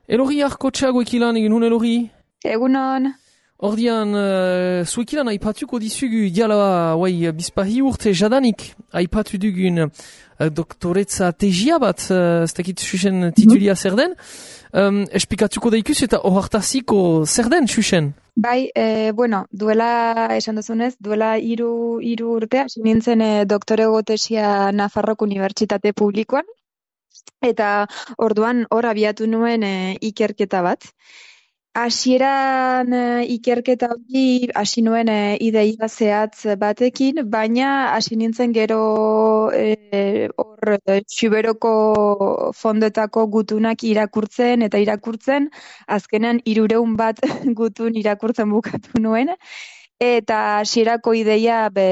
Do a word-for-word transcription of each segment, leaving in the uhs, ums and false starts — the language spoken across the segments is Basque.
Elorri arkotxeago ekilan egin hun, Elorri? Egunon. Ordian, uh, zuekilan aipatuko dizugu diala wai bizpahi urte jadanik aipatu dugun uh, doktoretza tegia bat, uh, ez dakit xuxen titulia zer den, um, esplikatuko daikuz eta ohartaziko zer den xuxen? Bai, e, bueno, duela, esan duzunez, duela hiru hiru urte hasi nintzen e, doktorego tesia Nafarroko Unibertsitate Publikoan, eta orduan hor abiatu nuen e, ikerketa bat. Hasieran e, ikerketa hori hasi nuen e, ideia zehatz batekin, baina hasi nintzen gero e, hor e, Xuberoko fondetako gutunak irakurtzen eta irakurtzen, azkenean hirureun bat gutun irakurtzen bukatu nuen, eta hasierako ideia be,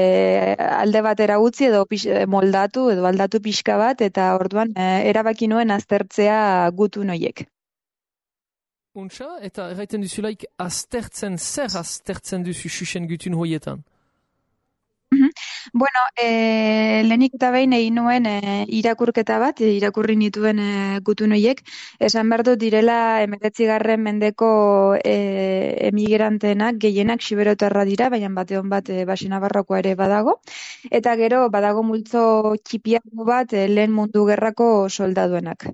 alde batera utzi edo pix, moldatu edo aldatu pixka bat, eta orduan e, erabaki nuen aztertzea gutun horiek. Untxa, eta erraiten duzulaik aztertzen, zer aztertzen duzu xuxen gutun hoietan? Mm-hmm. Bueno, e, lehenik eta behin egin nuen e, irakurketa bat, e, irakurri nituen e, gutun horiek, esan behar dut direla hemeretzigarren mendeko e, emigrantenak gehienak xiberotarra dira, baina bateon bat e, Baxi Nafarrokoa ere badago, eta gero badago multzo txipiago bat e, lehen mundu gerrako soldaduenak.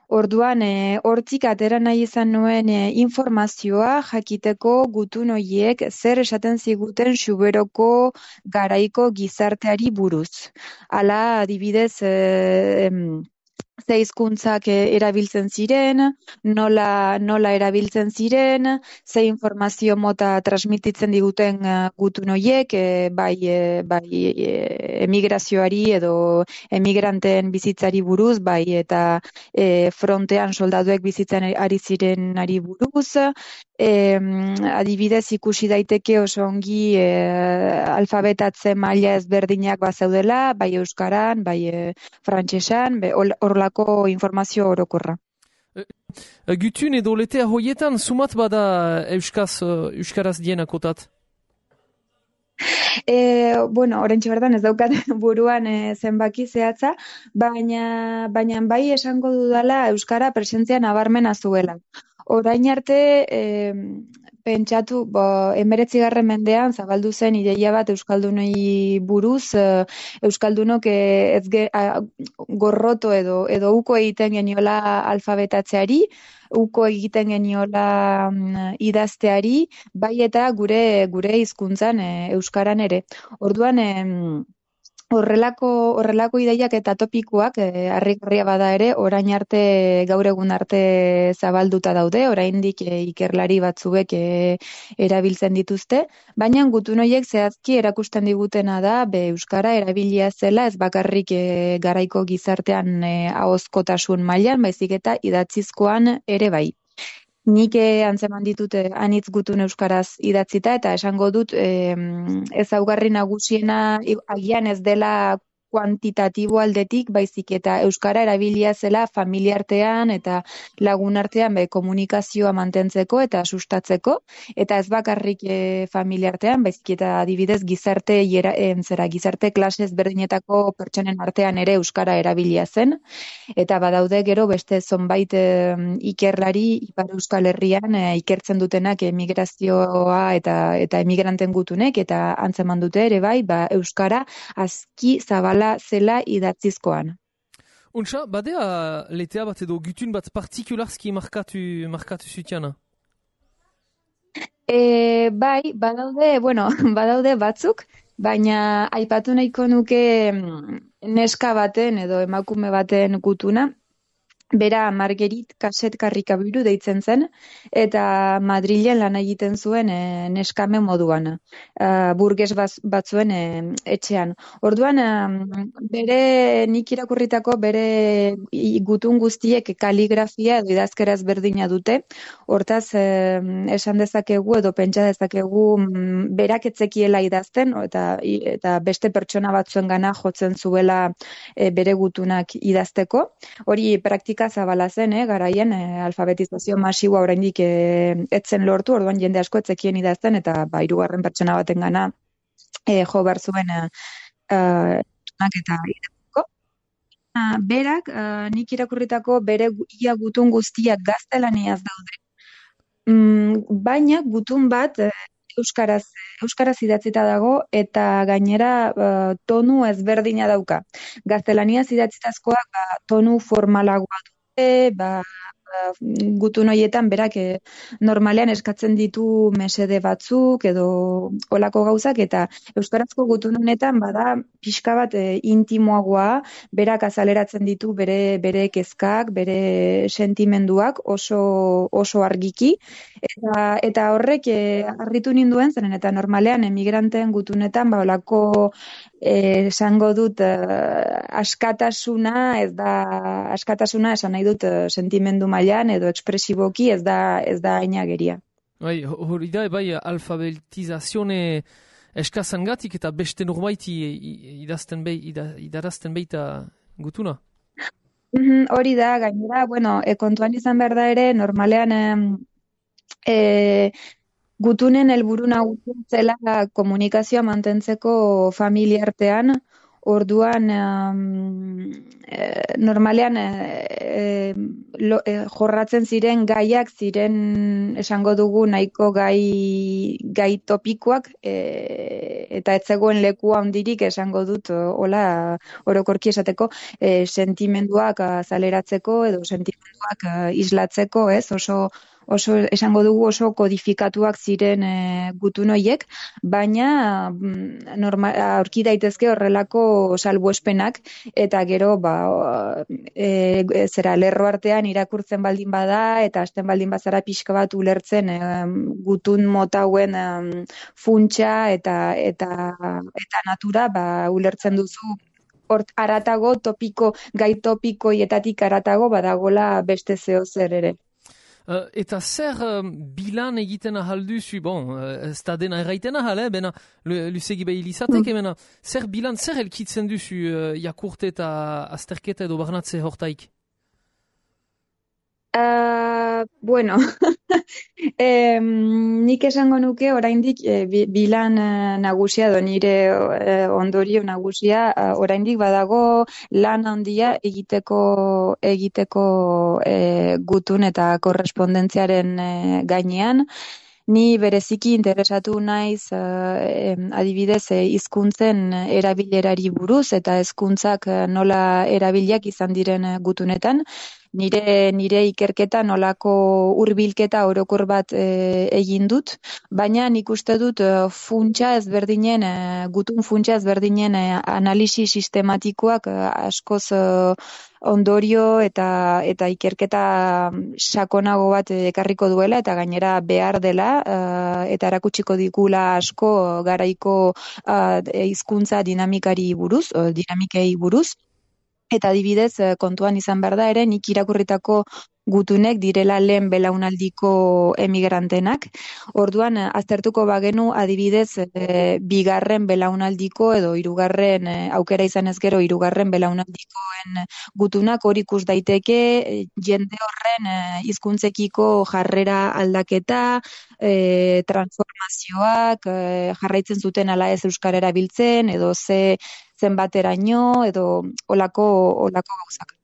Orduan, e, hortzik atera nahi izan nuen e, informazioa jakiteko gutun horiek zer esaten ziguten Xuberoko garaiko gizarteari buruz. Hala, adibidez, e, ze hizkuntzak erabiltzen ziren, nola, nola erabiltzen ziren, ze informazio mota transmititzen diguten gutun horiek, e, bai, e, bai e, emigrazioari edo emigranteen bizitzari buruz, bai eta e, frontean soldaduek bizitzen ari zirenari buruz, e, adibidez ikusi daiteke oso ongi e, alfabetatze maila ezberdinak bazeudela, bai euskaran, bai e, frantsesan, horrelako informazio orokorra. E, gutun edo letea hoietan sumat bada euskaz, euskaraz dienakotat? E, bueno, orentxe bertan ez daukat buruan e, zenbaki zehatza, baina, baina bai esango dudala euskara presentzia nabarmena zuela. Orain arte, e, pentsatu, bo, emeretzigarren mendean zabaldu zen ideia bat euskaldunei buruz, e, euskaldunok e, ez ge, a, gorroto edo, edo uko egiten geniola alfabetatzeari, uko egiten geniola um, idazteari, bai eta gure gure hizkuntzan e, euskaran ere. Orduan, e, horrelako horrelako ideiak eta topikoak e, harrigarria bada ere, orain arte gaur egun arte zabalduta daude, oraindik e, ikerlari batzuek e, erabiltzen dituzte, baina gutun horiek zehazki erakusten digutena da be euskara erabilia zela ez bakarrik e, garaiko gizartean e, ahozkotasun mailan, baizik eta idatzizkoan ere bai. Nik antzeman ditut anitz gutun euskaraz idatzita eta esango dut eh, ezaugarri nagusiena agian ez dela kuantitatibo aldetik, baizik eta euskara erabilia zela familiartean eta lagunartean be komunikazioa mantentzeko eta sustatzeko, eta ez bakarrik e, familiartean, baizik eta adibidez gizarte hiera, zera, gizarte klase ezberdinetako pertsonen artean ere euskara erabilia zen, eta badaude gero beste zonbait e, ikerlari Ipar Euskal Herrian e, ikertzen dutenak emigrazioa eta eta emigranten gutunek, eta antzeman dute ere bai, ba, euskara aski zabala zela idatzizkoan. Untxa, badea letea bat edo gutun bat partikularski markatu, markatu zutiana? E, bai, badaude, bueno, badaude batzuk, baina aipatu nahiko nuke neska baten edo emakume baten gutuna. Bera Margerit Kaset Karrikabiru deitzen zen, eta Madrilen lan egiten zuen e, neskame moduan, e, burges batzuen e, etxean. Orduan, e, bere nik irakurritako bere gutun guztiek kaligrafia edo idazkera ezberdina dute, hortaz e, esan dezakegu edo pentsa dezakegu m, berak etzekiela idazten, eta, eta beste pertsona batzuen gana jotzen zuela e, bere gutunak idazteko. Hori praktika zabala zen, eh, garaian eh, alfabetizazio masiboa oraindik eh, etzen lortu, orduan jende asko etzekien idazten, eta ba, hirugarren pertsona batengana eh, jo behar zuen eh, eh, eta idazteko. berak, uh, nik irakurritako bere ia gutun guztiak gaztelaniaz daude. Mm, baina gutun bat uh, euskaraz, euskaraz idatzita dago eta gainera uh, tonu ezberdina dauka. Gaztelaniaz idatzitazkoak ba, tonu formalagoa dute, ba, gutun horietan berak e, normalean eskatzen ditu mesede batzuk edo olako gauzak eta euskarazko gutun honetan bada pixka bat e, intimoagoa, berak azaleratzen ditu bere bere kezkak, bere sentimenduak oso oso argiki eta eta horrek e, harritu ninduen zeren eta normalean emigranteen gutunetan ba olako esango dut uh, askatasuna ez da askatasuna esan nahi dut uh, sentimendu mailan edo ekspresiboki ez da ez da ainageria. Bai, hori da bai alfabetizazione eskazangatik eta beste norbaiti idazten bai idarazten baita gutuna. Mm-hmm, hori da gainera, bueno, e, kontuan izan behar da ere normalean e, e, gutunen helburu nagusia zela komunikazioa mantentzeko familia artean, orduan um, e, normalean e, lo, e, jorratzen ziren gaiak ziren esango dugu nahiko gai, gai topikoak e, eta ez zegoen leku handirik esango dut hola orokorki esateko e, sentimenduak azaleratzeko edo sentimenduak e, islatzeko, ez oso oso esango dugu oso kodifikatuak ziren e, gutun horiek, baina norma, aurki daitezke horrelako salbuespenak eta gero ba, e, zera lerro artean irakurtzen baldin bada eta hasten baldin bazara pixka bat ulertzen e, gutun mota hauen e, funtsa eta eta eta natura ba, ulertzen duzu hort aratago topiko gai topikoietatik aratago badagola beste zeo zer ere. Uh, eta zer um, bilan egiten ahalduzu, bon, uh, ez da dena erraiten ahal, eh, bena, lusegi behi lizateke, mm. bena, zer bilan, zer elkitzen duzu uh, jakurte eta azterketa edo barnatze hortaik? Uh, bueno, eh, nik esango nuke oraindik eh, bilan eh, nagusia do nire eh, ondorio nagusia eh, oraindik badago lan handia egiteko egiteko eh, gutun eta korrespondentziaren eh, gainean. Ni bereziki interesatu naiz eh, adibidez hizkuntzen eh, erabilerari buruz eta hezkuntzak eh, nola erabiliak izan diren eh, gutunetan. Nire nire ikerketa nolako hurbilketa orokor bat e, egin dut, baina nik uste dut e, funtsa ezberdinen e, gutun funtsa ezberdinen e, analisi sistematikoak e, askoz e, ondorio eta eta ikerketa sakonago bat ekarriko duela eta gainera behar dela e, eta erakutsiko digula asko garaiko hizkuntza dinamikari buruz, o, dinamikei buruz. Eta adibidez, kontuan izan behar da ere, nik irakurritako gutunek direla lehen belaunaldiko emigrantenak. Orduan, aztertuko bagenu adibidez, e, bigarren belaunaldiko edo hirugarren e, aukera izan ez gero hirugarren belaunaldikoen gutunak hori ikus daiteke e, jende horren e, hizkuntzekiko jarrera aldaketa, e, transformazioak, e, jarraitzen zuten ala ez euskara erabiltzen edo ze zenbateraino edo olako olako gauzak.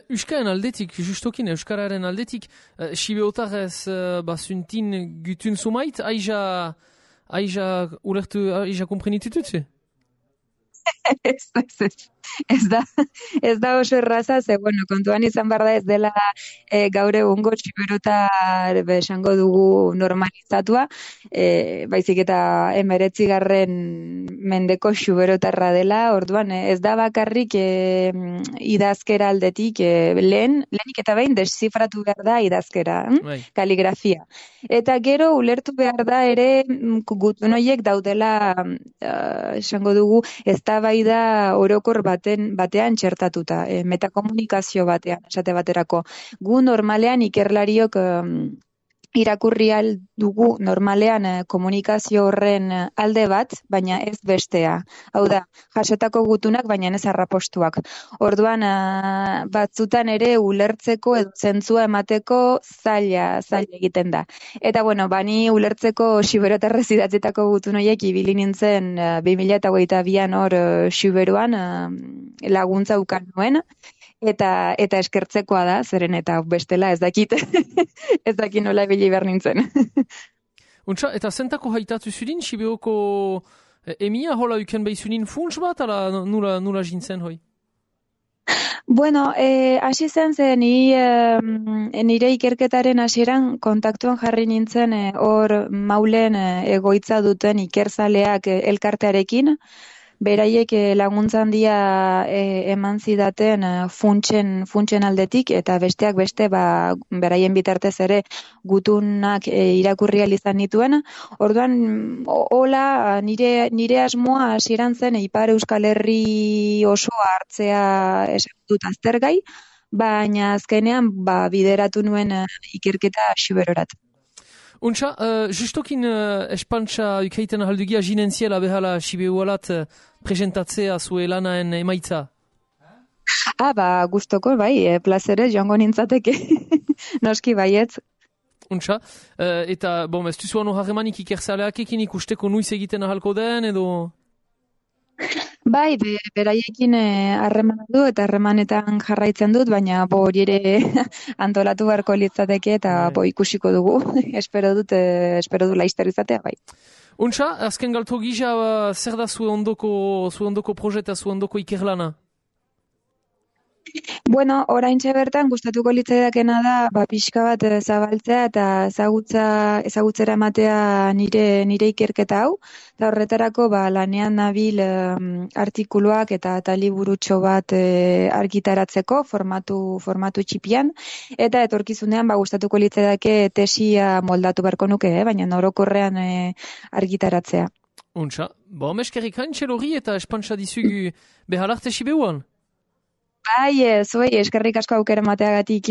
Euskaren aldetik, justokin Euskararen aldetik, uh, sibeotarez uh, basuntin gutun sumait, aija, aija ulertu, aija komprenitututze? ez, ez, ez, da, ez da oso erraza, ze, bueno, kontuan izan behar da ez dela e, gaur egungo siberotar esango dugu normalizatua, e, baizik eta emeretzigarren mendeko siberotarra dela, orduan ez da bakarrik e, idazkera aldetik, e, lehen, lehenik eta behin desifratu behar da idazkera, hm? Kaligrafia. Eta gero ulertu behar da ere gutun horiek daudela, uh, esango dugu, ez da bai da orokor baten, batean txertatuta, e, metakomunikazio batean, esate baterako. Gu normalean ikerlariok um, irakurri dugu normalean eh, komunikazio horren alde bat, baina ez bestea. Hau da, jasotako gutunak, baina ez arrapostuak. Orduan, uh, batzutan ere ulertzeko edo zentzua emateko zaila, zaila egiten da. Eta bueno, bani ulertzeko siberotarrez idatzetako gutun horiek ibili nintzen uh, bi mila hogeita bian hor uh, siberuan uh, laguntza ukan nuen. eta eta eskertzekoa da, zeren eta bestela ez dakit, ez dakit nola ibili behar nintzen. Untsa, eta zentako haitatu zudin, Sibeoko emia hola uken behizunin funts bat, ala nula, nula jintzen hoi? Bueno, eh, hasi zen zen ni, eh, nire ikerketaren hasieran kontaktuan jarri nintzen eh, hor maulen eh, egoitza duten ikerzaleak eh, elkartearekin, beraiek eh, laguntza handia eh, eman zidaten eh, funtsen, funtsen aldetik, eta besteak beste ba, beraien bitartez ere gutunak eh, irakurri ahal izan nituen. Orduan, hola, nire, nire asmoa hasieran zen Ipar Euskal Herri osoa hartzea esan dut aztergai, baina azkenean ba, bideratu nuen eh, ikerketa Siberorat. Untsa, uh, justokin uh, espantsa ukeiten ahaldugia jinentziela behala Sibeualat uh, presentatzea zue lanaen emaitza? Ah, ba, gustoko, bai, e, plazere joango nintzateke. Noski baietz. Untsa, uh, eta, bon, ez duzu ano harremanik ikerzaleak ekin ikusteko nuiz egiten ahalko den, edo... Bai, be, beraiekin harremana du eta harremanetan jarraitzen dut, baina bo hori ere antolatu beharko litzateke eta bo ikusiko dugu. espero dut, eh, espero du laizter izatea, bai. Untsa, azken galto gisa, uh, zer da zue ondoko, zue ondoko projeta, zue ondoko ikerlana? Bueno, oraintxe bertan gustatuko litzaidakena da ba pixka bat zabaltzea eta ezagutza ezagutzera ematea nire nire ikerketa hau, eta horretarako ba lanean nabil um, artikuluak eta eta liburutxo bat e, argitaratzeko formatu formatu txipian, eta etorkizunean ba gustatuko litzaidake tesia moldatu beharko nuke, eh? Baina orokorrean e, argitaratzea. Untsa, bo meskerrik haintxel hori eta espantsa dizugu behalarte Sibeuan. Bai, zuei eskerrik asko aukera mateagatik.